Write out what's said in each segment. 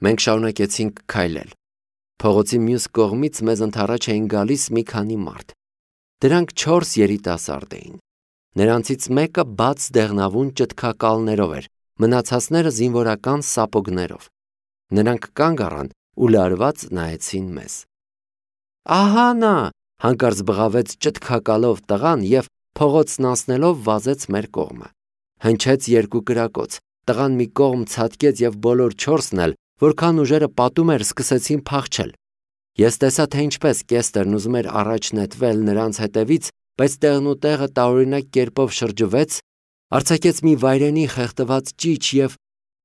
Մենք շարունակեցինք քայլել։ Փողոցի մյուս կողմից մեզ ընդառաջ էին գալիս մի քանի մարդ։ Դրանք 4 երիտասարդ էին։ Նրանցից մեկը բաց դեղնավուն ճտկակալներով էր, մնացածները զինվորական սապոգներով։ Նրանք կանգ առան ու լարված նայեցին մեզ։ Ահա նա, հանկարծ բղավեց ճտկակալով տղան և փողոցն անցնելով վազեց մեր կողմը։ Հնչեց երկու կրակոց, տղան մի կողմ ցատկեց և բոլոր 4-ն էլ, որքան ուժերը պատում էր, սկսեցին փախչել։ Ես տեսա, թե ինչպես Կեստրն ուզում էր առաջ նետվել նրանց հետևից, բայց տեղնուտեղը տարօրինակ կերպով շրջվեց, արձակեց մի վայրենի խեղդված ճիչ և,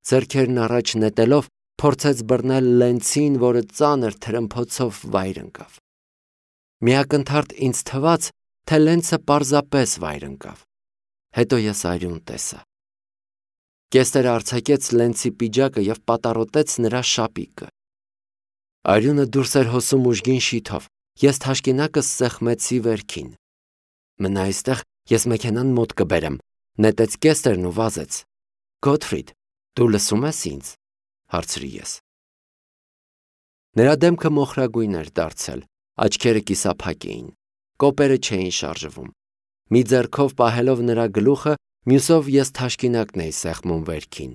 ձեռքերն առաջ նետելով, փորձեց բռնել լենցին, որը ծանր թրմփոցով վայր ընկավ։ Միակնթարթ ինձ թվաց, թե լենցը պարզապես վայր ընկավ։ Հետո ես արյուն տեսա։ Կեստրը արձակեց լենցի պիջակը և պատառոտեց նրա շապիկը։ Արյունը դուրս էր հոսում ուժգին շիթով, ես թաշկինակս սեղմեցի վերքին։ Մնա այստեղ, ես մեքենան մոտ կբերեմ, նետեց Կեստրն ու վազեց։ Գոթֆրիդ, դու լսում ես ինձ, հարցրի ես։ Նրա դեմքը մոխրագույն էր դարձել, աչքերը կիսափակ էին, կոպերը չէին շարժվում։ Մի ձեռքով պահելով նրա գլուխը, մյուսով ես թաշկինակն էի սեղմում վերքին։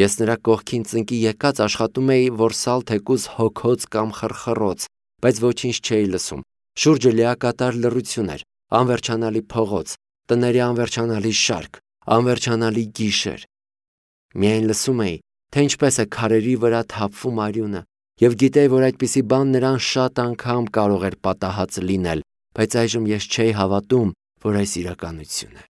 Ես նրա կողքին ծնկի եկած աշխատում էի որսալ թեկուզ հոգոց կամ խռխռոց, բայց ոչինչ չէի լսում։ Շուրջը լիակատար լռություն էր, անվերջանալի փողոց, տների անվերջանալի շարք, անվերջանալի գիշեր։ Միայն լսում էի, թե ինչպես է քարերի վրա թափվում արյունը, և գիտեի, որ այդպիսի բան նրան շատ անգամ կարող էր պատահած լինել, բայց այժմ ես չէի հավատում, որ այս իրականություն է։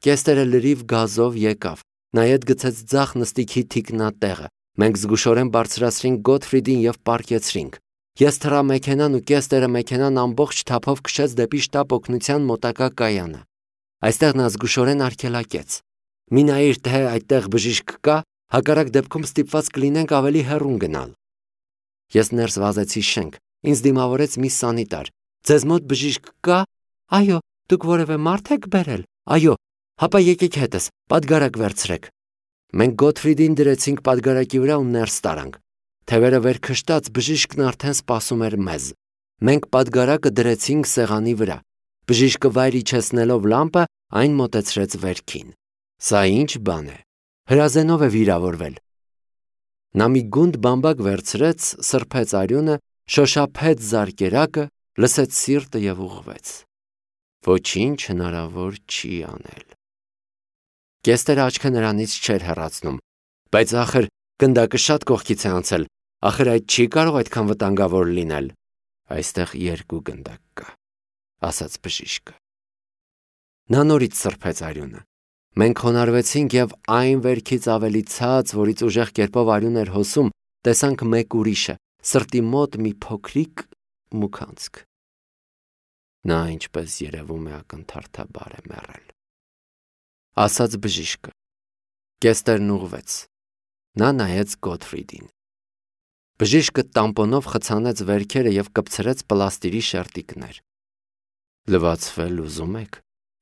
Կեստրը լրիվ գազով եկավ, նայեց գցեց ձախ նստիքի թիկնատեղը։ Մենք զգուշորեն բարձրացրինք Գոթֆրիդին և պառկեցրինք։ Ես թռա մեքենան ու Կեստրը մեքենան ամբողջ թափով քշեց դեպի շտապ օգնության մոտակա կայանը։ Այստեղ նա զգուշորեն արգելակեց. «Մի նայիր, թե այդտեղ բժիշկ կա, հակառակ դեպքում ստիպված կլինենք ավելի հեռուն գնալ»։ Ես ներս վազեցի շենք, ինձ դիմավորեց մի սանիտար։ «Ձեզ մոտ բժիշկ կա»։ «Այո, դուք որևէ մարդ եք բերել»։ «Այո»։ «Հապա եկեք հետս, պատգարակ վերցրեք»։ Մենք Գոթֆրիդին դրեցինք պատգարակի վրա ու ներս տարանք։ Թևերը վեր քշտած բժիշկն արդեն սպասում էր մեզ։ Մենք պատգարակը դրեցինք սեղանի վրա։ Բժիշկը վայր իջեցնելով լամպը, այն մոտեցրեց վերքին։ Սա ինչ բան է։ Հրազենով է վիրավորվել։ Նա մի գունդ բամբակ վերցրեց, սրբեց արյունը, շոշափեց զարկերակը, լսեց սիրտը և ուղղվեց։ Ոչինչ հնարավոր չի անել։ Կեստրը աչքը նրանից չէր հեռացնում։ Բայց ախր գնդակը շատ կողքից է անցել, ախր այդ չի կարող այդքան վտանգավոր լինել։ Այստեղ 2 գնդակ կա, ասաց բժիշկը։ Նա նորից սրբեց արյունը։ Մենք խոնարհվեցինք և այն վերքից ավելի ցած, որից ուժեղ կերպով արյուն էր հոսում, տեսանք մեկ ուրիշը, սրտի մոտ մի փոքրիկ մուքանցք։ Նա, ինչպես երևում է, ակնթարթաբար է մեռել, ասաց բժիշկը։ Կեստրն ուղղվեց։ Նա նայեց Գոթֆրիդին։ Բժիշկը տամպոնով խցանեց վերքերը և կպցրեց պլաստիրի շերտիկներ։ Լվացվել ուզում եք,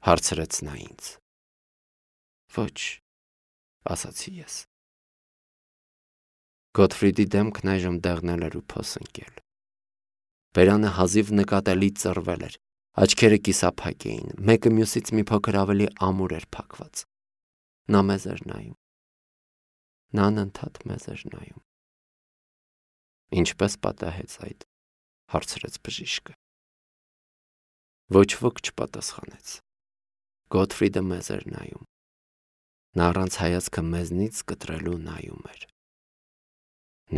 հարցրեց նա ինձ։ Ոչ, ասացի ես։ Գոթֆրիդի դեմքն այժմ դեղնել էր ու փոսընկել։ Բերանը հազիվ նկատելի ծռվել էր, աչքերը կիսափակ էին, մեկը մյուսից մի փոքր ավելի ամուր էր փակված։ Նա մեզ էր նայում։ Նա անընդհատ մեզ էր նայում։ Ինչպես պատահեց այդ, հարցրեց բժիշկը։ Ոչ ոք չպատասխանեց։ Գոթֆրիդը մեզ էր նայում։ Նա առանց հայացքը մեզնից կտրելու նայում էր։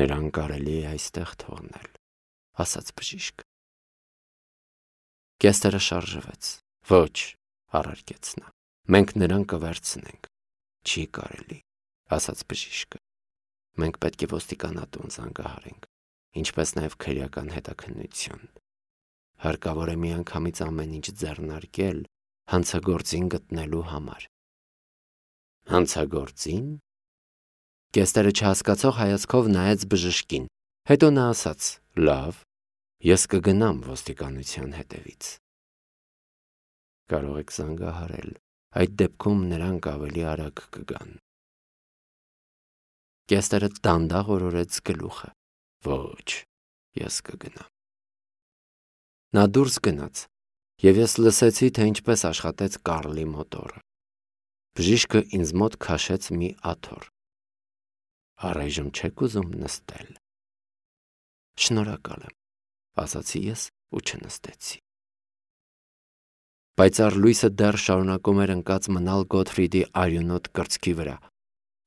Նրան կարելի է այստեղ թողնել, ասաց բժիշկը։ Կեստրը շարժվեց։ Ոչ, առարկեց նա։ Մենք նրան կվերցնենք։ Չի կարելի, ասաց բժիշկը։ Մենք պետք է ոստիկանատուն զանգահարենք, ինչպես նաև քրեական հետաքննություն։ Հարկավոր է միանգամից ամեն ինչ ձեռնարկել հանցագործին գտնելու համար։ Հանցագործին։ Կեստրը չհասկացող հայացքով նայեց բժշկին, հետո նա ասաց. Լավ, ես կգնամ ոստիկանության հետևից։ Կարող եք զանգահարել, այդ դեպքում նրանք ավելի արագ կգան։ Կեստերը դանդաղ օրորեց գլուխը։ Ոչ, ես կգնամ։ Նա դուրս գնաց, և ես լսեցի, թե ինչպես աշխատեց Կարլի մոտորը։ Բժիշկը ինձ մոտ քաշեց մի աթոռ։ Առայժմ չեք ուզում նստել։ Շնորհակալ եմ, ասացի ես ու չնստեցի։ Պայծառ լույսը դեռ շարունակում էր ընկած մնալ Գոթֆրիդի արյունոտ կրծքի վրա։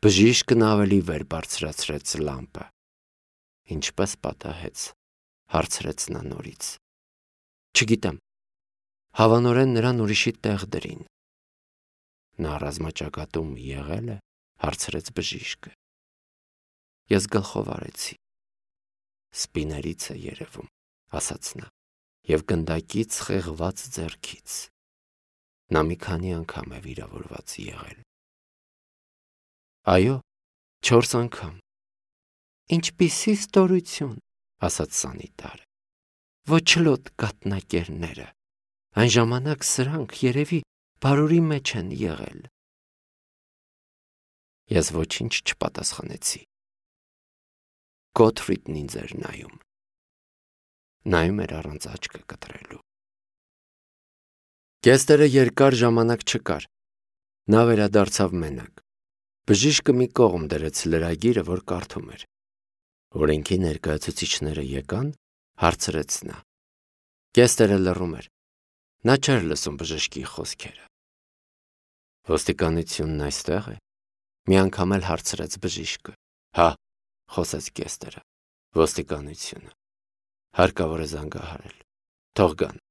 Բժիշկն ավելի վեր բարձրացրեց լամպը։ Ինչպես պատահեց, հարցրեց նա նորից։ Չգիտեմ, հավանորեն նրան ուրիշի տեղ դրին։ Նա ռազմաճակատում եղել է, հարցրեց բժիշկը։ Ես գլխով արեցի։ Սպիներից է երևում, ասաց նա, և գնդակից խեղված ձեռքից։ Նա մի քանի անգամ է վիրավորված եղել։ Այո, 4 անգամ։ Ինչպիսի ստորություն, ասաց սանիտարը։ Ոչլոտ կաթնակերները։ Այն ժամանակ սրանք երևի բարուրի մեջ են եղել։ Ես ոչինչ չպատասխանեցի։ Գոթֆրիդն ինձ էր նայում։ Նայում էր առանց աչքը կտրելու։ Կեստերը երկար ժամանակ չկար։ Նա վերադարձավ մենակ։ Բժիշկը մի կողմ դրեց լրագիրը, որ կարդում էր։ Օրենքի ներկայացուցիչները եկան, հարցրեց նա։ Կեստերը լռում էր։ Նա չէր լսում բժշկի խոսքերը։ Ոստիկանությունն այստեղ է։ Մի անգամ էլ հարցրեց բժիշկը։ Հա, խոսեց Կեստերը։ Ոստիկանությունը։ Հարկավոր է զանգահարել։ Թող գան։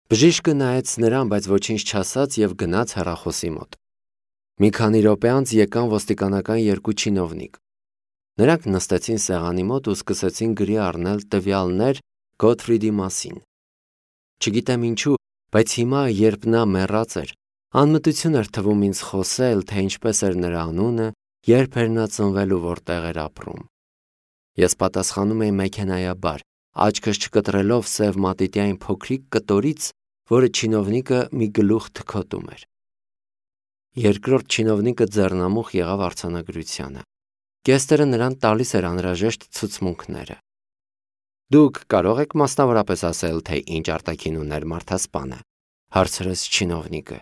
Բժիշկը նայեց նրան, բայց ոչինչ չասաց և գնաց հեռախոսի մոտ։ Մի քանի րոպե անց եկան ոստիկանական 2 չինովնիկ։ Նրանք նստեցին սեղանի մոտ ու սկսեցին գրի առնել տվյալներ Գոթֆրիդի մասին։ Չգիտեմ ինչու, բայց հիմա, երբ նա մեռած էր, անմտություն էր թվում ինձ խոսել, թե ինչպես էր նրա անունը, երբ էր նա ծնվել ու որտեղ էր ապրում։ Ես պատասխանում էի մեքենայաբար, աչքս չկտրելով սև մատիտյային փոքրիկ կտորից, որը չինովնիկը մի գլուխ թքոտում էր։ Երկրորդ չինովնիկը ձեռնամուխ եղավ արձանագրությանը։ Կեստերը նրան տալիս էր անհրաժեշտ ցուցմունքները։ Դուք կարող եք մասնավորապես ասել, թե ինչ արտաքին ուներ մարդասպանը, հարցրեց չինովնիկը։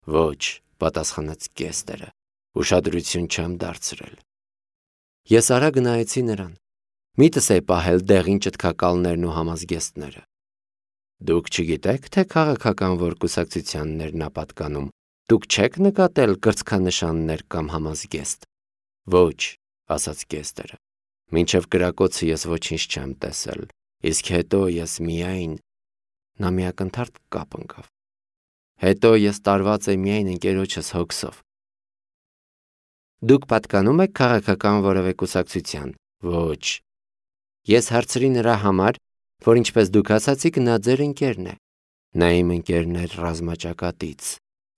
Ոչ, պատասխանեց Կեստերը, ուշադրություն չեմ դարձրել։ Ես արագ նայեցի նրան։ Միտս է պահել դեղին ճտկակալներն ու համազգեստները։ Դուք չգիտեք, թե քաղաքական որ կուսակցությանն նա պատկանում, դուք չեք նկատել կրծքանշաններ կամ համազգեստ։ Ոչ, ասաց Կեստերը, մինչև կրակոցը ես ոչինչ չեմ տեսել, իսկ հետո ես միայն… Նա մի ակնթարթ կապ ընկավ։ Հետո ես տարված եմ միայն ընկերոջս հոգսով։ Դուք պատկանում եք քաղաքական որևէ կուսակցության։ Ոչ։ Ես հարցրի նրա համար, որ ինչպես դուք ասացիք, նա ձեր ընկերն է։ Նա իմ ընկերն էր ռազմաճակատից,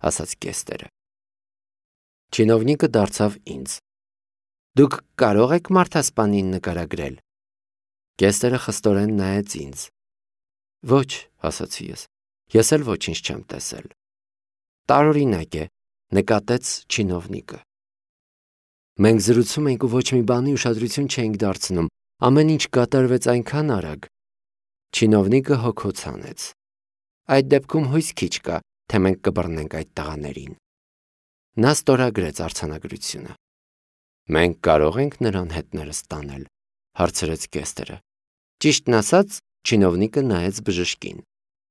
ասաց Կեստերը։ Չինովնիկը դարձավ ինձ։ Դուք կարող եք մարդասպանին նկարագրել։ Կեստերը խստորեն նայեց ինձ։ Ոչ, ասացի ես էլ ոչինչ չեմ տեսել։ Տարօրինակ է, նկատեց չինովնիկը։ Մենք զրուցում ենք ու ոչ մի բանի ուշադրություն չենք դարձնում, ամեն ինչ կատարվեց այնքան արագ։ Չինովնիկը հոգոց հանեց։ Այդ դեպքում հույս քիչ կա, թե մենք կբռնենք այդ տղաներին։ Նա ստորագրեց արձանագրությունը։ Մենք կարող ենք նրան հետներս տանել, հարցրեց Կեստերը։ Ճիշտն ասած, չինովնիկը նայեց բժշկին։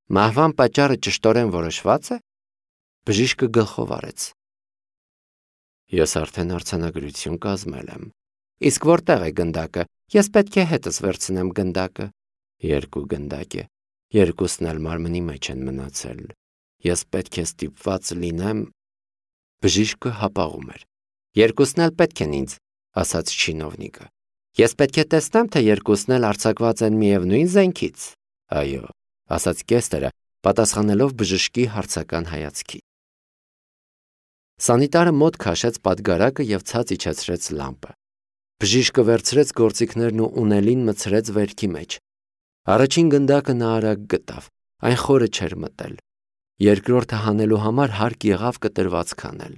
Մահվան պատճառը ճշտորեն որոշված է։ Բժիշկը գլխով արեց։ Ես արդեն արձանագրություն կազմել եմ։ Իսկ որտեղ է գնդակը։ Ես պետք է հետս վերցնեմ գնդակը։ 2 գնդակ է։ Երկուսն էլ մարմնի մեջ են մնացել։ Ես պետք է ստիպված լինեմ… Բժիշկը հապաղում էր։ Երկուսն էլ պետք են ինձ, ասաց չինովնիկը։ Ես պետք է տեսնեմ, թե երկուսն էլ արձակված են միևնույն զենքից։ Այո, ասաց Կեստերը, պատասխանելով բժշկի հարցական հայացքի։ Սանիտարը մոտ քաշեց պատգարակը և ցած իջեցրեց լամպը։ Բժիշկը վերցրեց գործիքներն ու ունելին մցրեց վերքի մեջ։ Առաջին գնդակը նա արագ գտավ, այն խորը չէր մտել։ Երկրորդը հանելու համար հարկ եղավ կտրված քանել։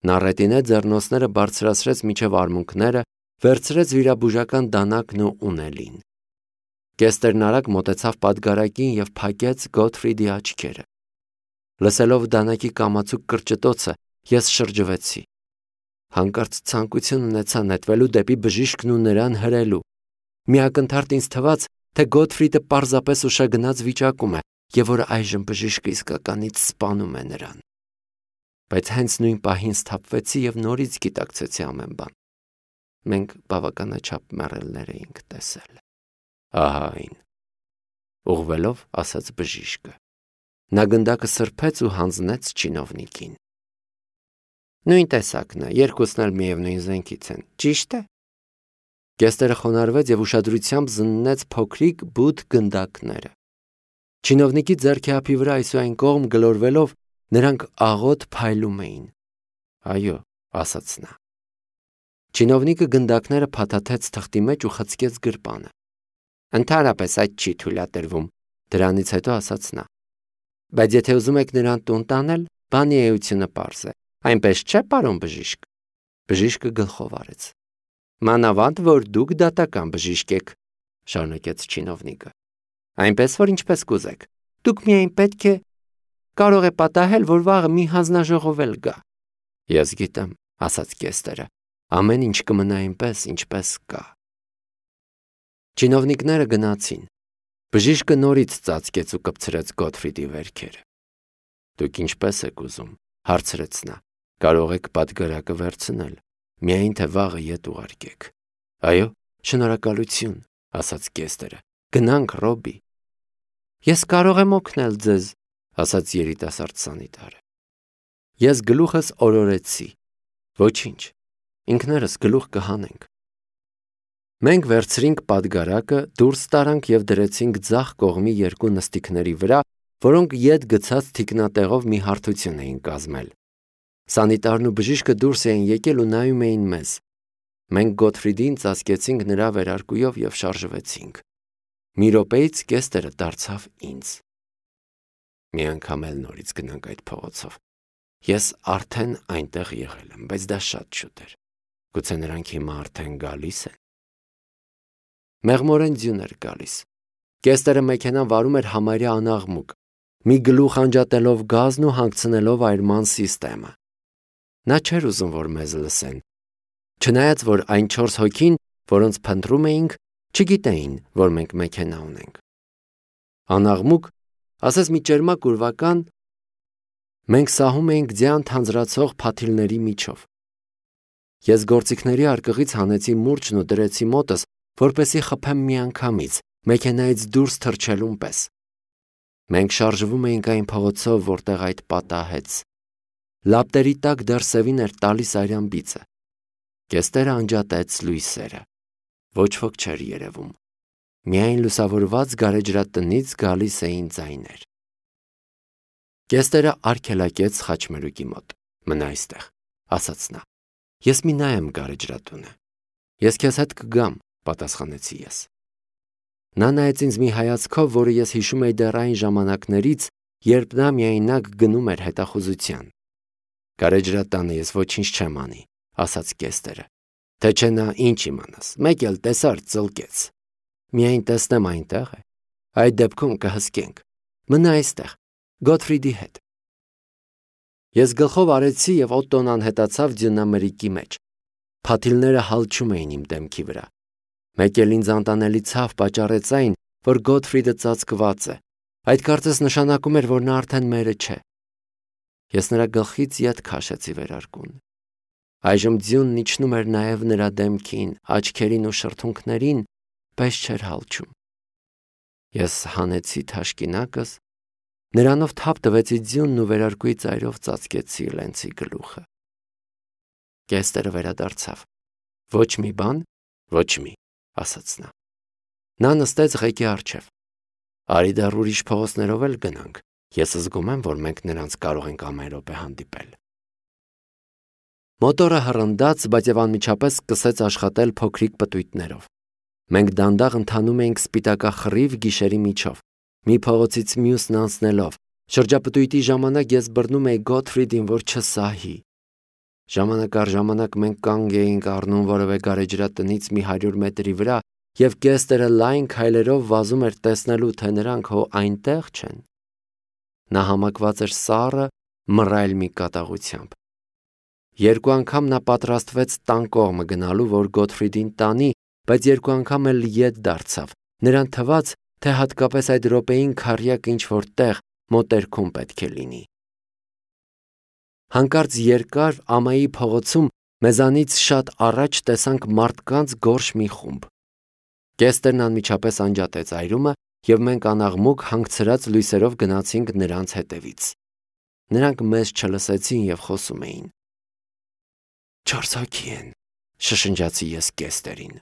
Նա ռետինե ձեռնոցները բարձրացրեց մինչև արմունկները, վերցրեց վիրաբուժական դանակն ու ունելին։ Կեստերն արագ մոտեցավ պատգարակին և փակեց Գոթֆրիդի աչքերը։ Լսելով դանակի կամացուկ կրճտոցը, ես շրջվեցի։ Հանկարծ ցանկություն ունեցա նետվելու դեպի բժիշկն ու նրան հրելու։ Մի ակնթարթ ինձ թվաց, թե Գոթֆրիդը պարզապես ուշագնաց վիճակում է և որ այժմ բժիշկը իսկականից սպանում է նրան։ Բայց հենց նույն պահին սթափվեցի և նորից գիտակցեցի ամեն բան։ Մենք բավականաչափ մեռելներ էինք տեսել։ Ահա այն, ուղղվելով ասաց բժիշկը։ Նա գնդակը սրբեց ու հանձնեց չինովնիկին։ Նույն տեսակն է, երկուսն էլ միևնույն զենքից են, ճիշտ է։ Կեստերը խոնարհվեց և ուշադրությամբ զննեց փոքրիկ բութ գնդակները։ Չինովնիկի ձեռքիափի վրա այսուայն կողմ գլորվելով նրանք աղոտ փայլում էին։ Այո, ասաց նա։ Չինովնիկը գնդակները փաթաթեց թղթի մեջ ու խցկեց գրպանը։ Ընդհանրապես այդ չի թույլատրվում, դրանից հետո ասաց նա։ Բայց եթե ուզում եք նրան տուն տանել, բանի էությունը պարզ է։ Այնպես չէ, պարոն բժիշկ։ Բժիշկը գլխով արեց։ Մանավանդ, որ դուք դատական բժիշկ եք, շարունակեց չինովնիկը։ Այնպես որ ինչպես կուզեք։ Դուք միայն պետք է կարող է պատահել, որ վաղը մի հանձնաժողով էլ գա։ Ես գիտեմ, ասաց Կեստերը։ Ամեն ինչ կմնա այնպես, ինչպես կա։ Չինովնիկները գնացին։ Բժիշկը նորից ծածկեց ու կպցրեց Գոթֆրիդի վերքերը։ Դուք ինչպես եք ուզում, հարցրեց նա։ Կարող եք պատգարակը վերցնել, միայն թե վաղը ետ ուղարկեք։ Այո, շնորհակալություն, ասաց Կեստերը։ Գնանք, Ռոբի։ Ես կարող եմ օգնել ձեզ, ասաց երիտասարդ սանիտարը։ Ես գլուխս օրորեցի։ Ոչինչ, ինքներս գլուխ կհանենք։ Մենք վերցրինք պատգարակը, դուրս տարանք և դրեցինք ձախ կողմի երկու նստիկների վրա, որոնք ետ գցած թիկնատեղով մի հարթություն էին կազմել։ Սանիտարն ու բժիշկը դուրս էին եկել ու նայում էին մեզ։ Մենք Գոթֆրիդին ծածկեցինք նրա վերարկուով և շարժվեցինք։ Մի րոպեից Կեստերը դարձավ ինձ։ Մի անգամ էլ նորից գնանք այդ փողոցով։ Ես արդեն այնտեղ եղել եմ, բայց դա շատ շուտ էր։ Գուցե նրանք հիմա արդեն գալիս են։ Մեղմորեն ձյուն էր գալիս։ Կեստերը մեքենան վարում էր համարյա անաղմուկ, մի գլուխ անջատելով գազն ու հանգցնելով այրման սիստեմը։ Նա չէր ուզում, որ մեզ լսեն։ Չնայած, որ այն 4 հոգին, որոնց փնտրում էինք, չգիտեին, որ մենք մեքենա ունենք։ Անաղմուկ, ասես մի ճերմակ ուրվական, մենք սահում էինք ձյան թանձրացող փաթիլների միջով։ Ես գործիքների արկղից հանեցի մուրճն ու դրեցի մոտս, որպեսզի խփեմ միանգամից, մեքենայից դուրս թռչելուն պես։ Մենք շարժվում էինք այն փողոցով, որտեղ այդ պատահեց։ Լապտերի տակ դեռ սևին էր տալիս արյան բիծը։ Կեստերը անջատեց լույսերը։ Ոչ ոք չէր երևում։ Միայն լուսավորված գարեջրատնից գալիս էին ձայներ։ Կեստերը արգելակեց խաչմերուկի մոտ։ Մնա այստեղ, ասաց նա։ Ես մի նայեմ գարեջրատունը։ Ես քեզ հետ կգամ, պատասխանեցի ես։ Նա նայեց ինձ մի հայացքով, որը ես հիշում էի դեռ այն ժամանակներից, երբ նա միայնակ գնում էր հետախուզության։ Գարեջրատանը ես ոչինչ չեմ անի, ասաց Կեստերը։ Թե չէ նա ինչ իմանաս, մեկ էլ տեսար ծլկեց։ Միայն տեսնեմ այնտեղ է։ Այդ դեպքում կհսկենք։ Մնա այստեղ, Գոթֆրիդի հետ։ Ես գլխով արեցի և Օտտոն անհետացավ ձյունամրրիկի մեջ։ Փաթիլները հալչում էին իմ դեմքի վրա։ Մեկ էլ ինձ անտանելի ցավ պատճառեց այն, որ Գոթֆրիդը ծածկված է։ Այդ կարծես նշանակում էր, որ նա արդեն մերը չէ։ Ես նրա գլխից ետ քաշեցի վերարկուն։ Այժմ ձյունն իջնում էր նաև նրա դեմքին, աչքերին ու շրթունքներին, բայց չէր հալչում։ Ես հանեցի թաշկինակս, նրանով թափ տվեցի ձյունն ու վերարկուի ծայրով ծածկեցի Լենցի գլուխը։ Կեստերը վերադարձավ։ Ոչ մի բան, ոչ մի, ասաց նա։ Նա նստեց ղեկի առջև։ Արի դեռ ուրիշ փողոցներով էլ գնանք։ Ես զգում եմ, որ մենք նրանց կարող ենք ամեն րոպե հանդիպել։ Մոտորը հռնդաց, բայց և անմիջապես սկսեց աշխատել փոքրիկ պտույտներով։ Մենք դանդաղ ընթանում էինք սպիտակախռիվ գիշերի միջով, մի փողոցից մյուսն անցնելով։ Շրջապտույտի ժամանակ ես բռնում էի Գոթֆրիդին, որ չսահի։ Ժամանակ առ ժամանակ մենք կանգ էինք առնում որևէ գարեջրատնից մի 100 մետրի վրա և Կեստերը լայն քայլերով վազում էր տեսնելու, թե նրանք հո այնտեղ չեն։ Նա համակված էր սառը, մռայլ մի կատաղությամբ։ Երկու անգամ նա պատրաստվեց տան կողմը գնալու, որ Գոթֆրիդին տանի, բայց երկու անգամ էլ ետ դարձավ։ Նրան թվաց, թե հատկապես այդ րոպեին քառյակը ինչ-որ տեղ մոտերքում պետք է լինի։ Հանկարծ երկար ամայի փողոցում մեզանից շատ առաջ տեսանք մարդկանց գորշ մի խումբ։ Կեստերն անմիջապես անջատեց այրումը, և մենք անաղմուկ հանգցրած լույսերով գնացինք նրանց հետևից։ Նրանք մեզ չլսեցին և խոսում էին։ 4 հոգի են, շշնջացի ես Կեստերին։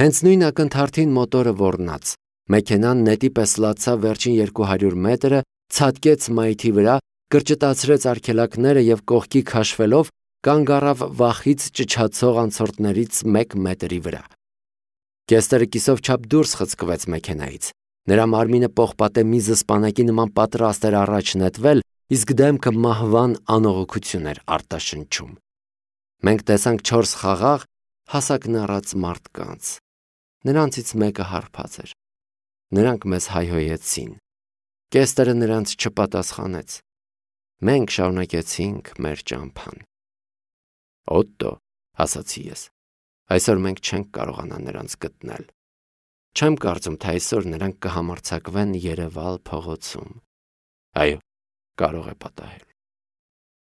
Հենց նույն ակնթարթին մոտորը ոռնաց։ Մեքենան նետի պես լացավ վերջին 200 մետրը, ցատկեց մայթի վրա, կրճտացրեց արգելակները և կողքի քաշվելով կանգ առավ վախից ճչացող անցորդներից 1 մետրի վրա։ Կեստերը կիսով չափ դուրս խցկվեց մեքենայից։ Նրա մարմինը պողպատե մի զսպանակի նման պատրաստ էր առաջ նետվել, իսկ դեմքը մահվան անողոքություն էր արտաշնչում։ Մենք տեսանք 4 խաղաղ, հասակնառած մարդկանց։ Նրանցից մեկը հարբած էր։ Նրանք մեզ հայհոյեցին։ Կեստերը նրանց չպատասխանեց։ Մենք շարունակեցինք մեր ճամփան։ Օտտո, ասացի ես, այսօր մենք չենք կարողանա նրանց գտնել։ Չեմ կարծում, թե այսօր նրանք կհամարձակվեն Երևալ փողոցում։ Այո, կարող է պատահել։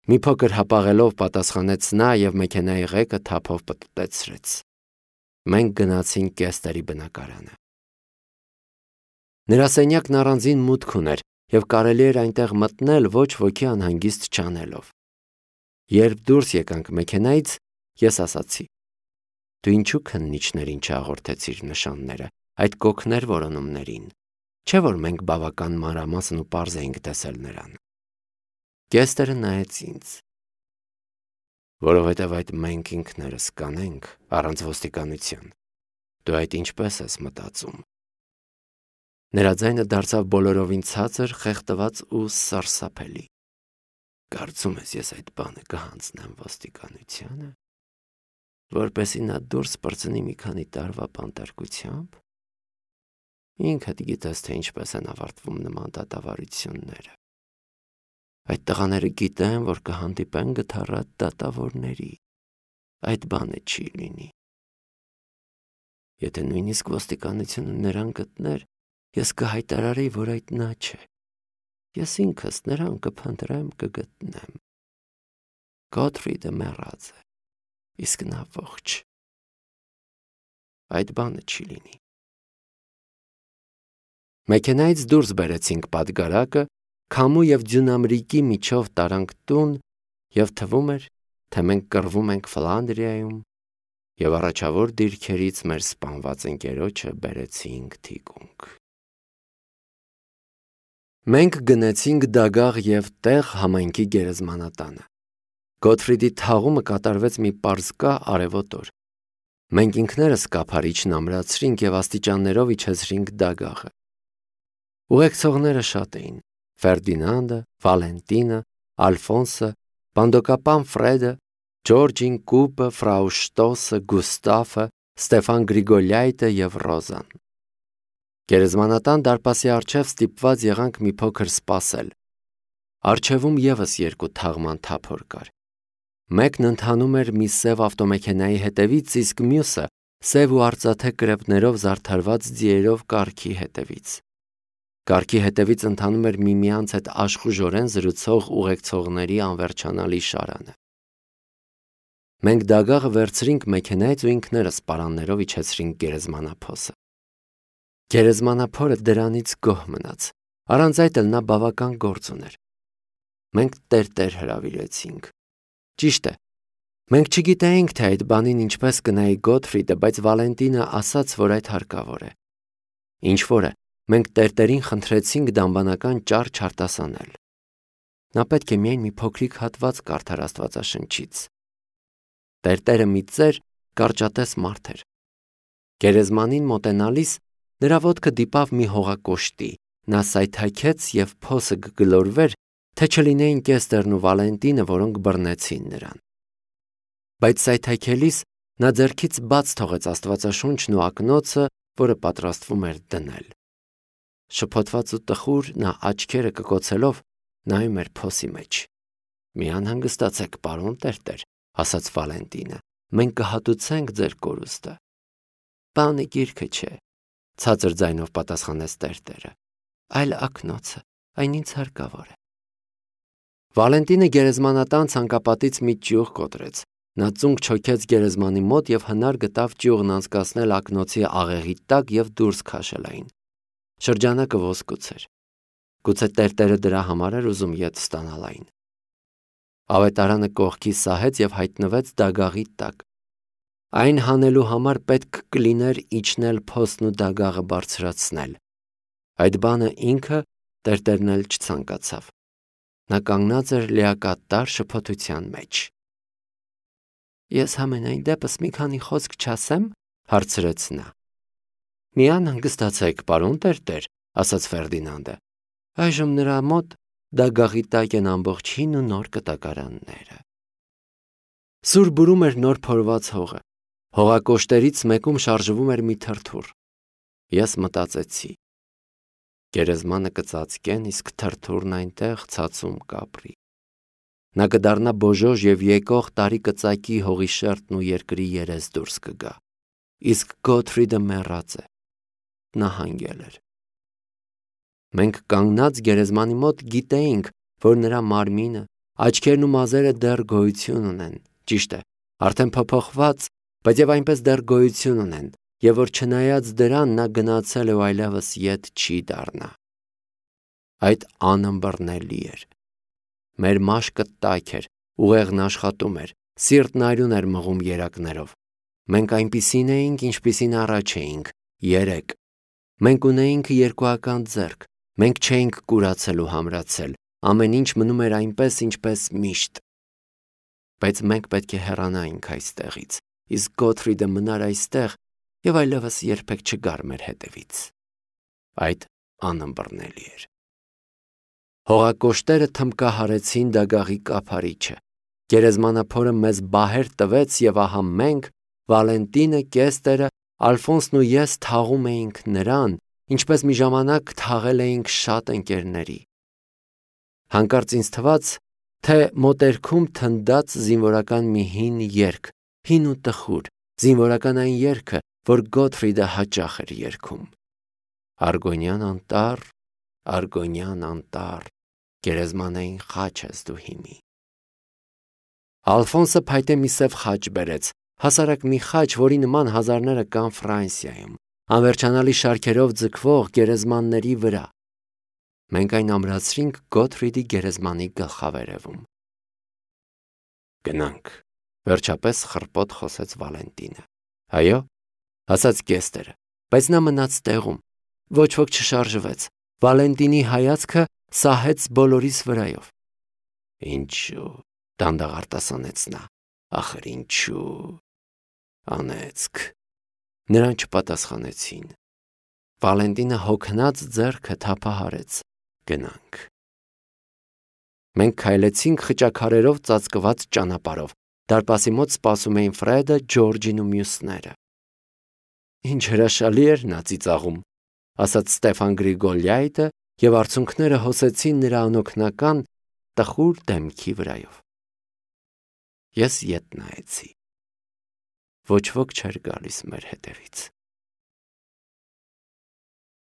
Մի փոքր հապաղելով պատասխանեց նա և մեքենայի ղեկը թափով պտտեցրեց։ Մենք գնացինք Կեստերի բնակարանը։ Նրա սենյակն առանձին մուտք ուներ և կարելի էր այնտեղ մտնել ոչ ոքի անհանգիստ չանելով։ Երբ դուրս եկանք մեքենայից, ես ասացի. Դու ինչու քննիչներին չհաղորդեցիր նշանները, այդ կոքներ որոնումներին, չէ՞ որ մենք բավական մանրամասն ու պարզ էինք տեսել նրան։ Կեստերը նայեց ինձ։ Որովհետև այդ մենք ինքներս կանենք առանց ոստիկանության։ Դու այդ ինչպես ես մտածում։ Նրա ձայնը դարձավ բոլորովին ցածր, խեղդված ու սարսափելի։ Կարծում ես ես այդ բանը կհանձնեմ ոստիկանությանը, որպեսզի նա դուրս պրծնի մի քանի տարվա բանտարկությամբ։ Ինքդ գիտես, թե ինչպես են ավարտվում նման դատավարությունները։ Այդ տղաները գիտեն, որ կհանդիպեն գթառատ դատավորների։ Այդ բանը չի լինի։ Եթե նույնիսկ ոստիկանությունը նրան գտներ, ես կհայտարարեի, որ այդ նա չէ։ Ես ինքս նրան կփնտրեմ, կգտնեմ։ Գոթֆրիդը մեռած է, իսկ նա ողջ։ Այդ բանը չի լինի։ Մեքենայից դուրս բերեցինք պատգարակը, քամու և ձյունամրիկի միջով տարանք տուն, և թվում էր, թե մենք կռվում ենք Ֆլանդրիայում, և առաջավոր դիրքերից մեր սպանված ընկերոջը բերեցինք թիկունք։ Մենք գնեցինք դագաղ և տեղ համայնքի գերեզմանատանը։ Գոթֆրիդի թաղումը կատարվեց մի պարզկա արևոտ օր։ Մենք ինքներս կափարիչն ամրացրինք և աստիճաններով իջեցրինք դագաղը։ Ուղեկցողները շատ էին. Ֆերդինանդը, Վալենտինը, Ալֆոնսը, բանդոկապան Ֆրեդը, Ջորջին, Կուպը, ֆրау Շտոսը, Գուստավը, Ստեֆան Գրիգոլյայտը և Ռոզան։ Գերեզմանատան դարպասի առջև ստիպված եղանք մի փոքր սպասել։ Առջևում ևս 2 թաղման թափոր կար։ Մեկն ընթանում էր մի սև ավտոմեքենայի հետևից, իսկ մյուսը սև ու արծաթե կրեպներով զարդարված ձիերով կառքի հետևից։ Կառքի հետևից ընթանում էր միմյանց հետ աշխուժորեն զրուցող ուղեկցողների անվերջանալի շարանը։ Մենք դագաղը վերցրինք մեքենայից ու ինքներս պարաններով իջեցրինք գերեզմանափոսը։ Գերեզմանափորը դրանից գոհ մնաց, առանց այդ էլ նա բավական գործ ուներ։ Մենք տերտեր հրավիրեցինք։ Ճիշտ է, մենք չգիտեինք, թե այդ բանին ինչպես կնայի Գոթֆրիդը, բայց Վալենտինը ասաց, որ այդ հարկավոր է։ Ինչ-որ է, մենք տերտերին խնդրեցինք դամբանական ճար չարտասանել։ Նա պետք է միայն մի փոքրիկ հատված կարդար Աստվածաշնչից։ Տերտերը մի ծեր կարճատես մարդ էր։ Գերեզմանին մոտենալիս նրա ոտքը դիպավ մի հողակոշտի, նա սայթաքեց և փոսը կգլորվեր, թե չլինեին Կեստերն ու Վալենտինը, որոնք բռնեցին նրան։ Բայց սայթաքելիս նա ձեռքից բաց թողեց Աստվածաշունչն ու ակնոցը, որը պատրաստվում էր դնել։ Շփոթված ու տխուր նա աչքերը կկոցելով նայում էր փոսի մեջ։ «Մի անհանգստացեք, պարոն Տերտեր», ասաց Վալենտինը, «մենք կհատուցենք ձեր կորուստը»։ «Բանը գիրքը չէ», ցածր ձայնով պատասխանեց Տերտերը, «այլ ակնոցը, այն ինձ հարկավոր է»։ Վալենտինը գերեզմանատան ցանկապատից մի ճյուղ կոտրեց։ Նա ծունկ չոքեց գերեզմանի մոտ և հնար գտավ ճյուղն անցկացնել ակնոցի աղեղի տակ և դուրս քաշել այն։ Շրջանակը ոսկուց էր։ Գուցե Տերտերը դրա համար էր ուզում ետ ստանալ այն։ Ավետարանը կողքի սահեց և հայտնվեց դագաղի տակ։ Այն հանելու համար պետք կլիներ իջնել փոսն ու դագաղը բարձրացնել։ Այդ բանը ինքը Տերտերն էլ չցանկացավ։ Նա կանգնած էր լիակատար շփոթության մեջ։ «Ես համենայն դեպս մի քանի խոսք չասեմ», հարցրեց նա։ «Մի անհանգստացեք, պարոն Տերտեր», ասաց Ֆերդինանդը։ «Այժմ նրա մոտ դագաղի տակ են ամբողջ հին ու նոր կտակարանները»։ Սուր բուրում էր նոր փորված հողը։ Հողակոշտերից մեկում շարժվում էր մի թրթուր։ Ես մտածեցի. գերեզմանը կծածկեն, իսկ թրթուրն այնտեղ ցածում կապրի։ Նա կդառնա բոժոժ և եկող տարի կծակի հողի շերտն ու երկրի երես դուրս կգա։ Իսկ Գոթֆրիդը մեռած է։ Նա հանգել էր։ Մենք կանգնած գերեզմանի մոտ գիտեինք, որ նրա մարմինը, աչքերն ու մազերը դեռ գոյություն ունեն, ճիշտ է, արդեն փոփոխված, բայց եւ այնպես դեռ գոյություն ունեն, եւ որ չնայած դրան նա գնացել է ու այլևս ետ չի դառնա։ Այդ անըմբռնելի էր։ Մեր մաշկը տաք էր, ուղեղն աշխատում էր, սիրտն արյուն էր մղում երակներով։ Մենք այնպիսին էինք, ինչպիսին առաջ էինք, երեք։ Մենք ունեինք երկուական ձեռք, մենք չէինք կուրացել ու համրացել, ամեն ինչ մնում էր այնպես, ինչպես միշտ։ Բայց մենք պետք է հեռանայինք այստեղից, իսկ Գոթֆրիդը մնար այստեղ և այլևս երբեք չգար մեր հետևից։ Այդ անըմբռնելի էր։ Հողակոշտերը թմկահարեցին դագաղի կափարիչը։ Գերեզմանափորը մեզ բահեր տվեց և ահա մենք, Վալենտինը, Կեստերը, Ալֆոնսն ու ես թաղում էինք նրան, ինչպես մի ժամանակ թաղել էինք շատ ընկերների։ Հանկարծ ինձ թվաց, թե մոտերքում թնդաց զինվորական մի հին երգ, հին ու տխուր, զինվորական այն երգը, որ Գոթֆրիդը հաճախ էր երգում. «Արգոնյան անտառ, գերեզմանային խաչ ես դու հիմի»։ Ալֆոնսը փայտե մի սև խաչ բերեց, հասարակ մի խաչ, որի նման հազարները կան Ֆրանսիայում, անվերջանալի շարքերով ձգվող գերեզմանների վրա։ Մենք այն ամրացրինք Գոթֆրիդի գերեզմանի գլխավերևում։ «Գնանք», վերջապես խռպոտ խոսեց Վալենտինը։ «Այո», ասաց Կեստերը, բայց նա մնաց տեղում, ոչ ոք չշարժվեց։ Վալենտինի հայացքը սահեց բոլորիս վրայով։ «Ինչու», դանդաղ արտասանեց նա, «ախր ինչու»։ «Անեծք», նրան չպատասխանեցին։ Վալենտինը հոգնած ձեռքը թափահարեց։ «Գնանք»։ Մենք քայլեցինք խճաքարերով ծածկված ճանապարհով։ Դարպասի մոտ սպասում էին Ֆրեդը, Ջորջին ու մյուսները։ «Ինչ հրաշալի էր նա ծիծաղում», ասաց Ստեֆան Գրիգոլյայտը, և արցունքները հոսեցին նրա անօգնական տխուր դեմքի վրայով։ Ես ետ նայեցի։ Ոչ ոք չէր գալիս մեր հետևից։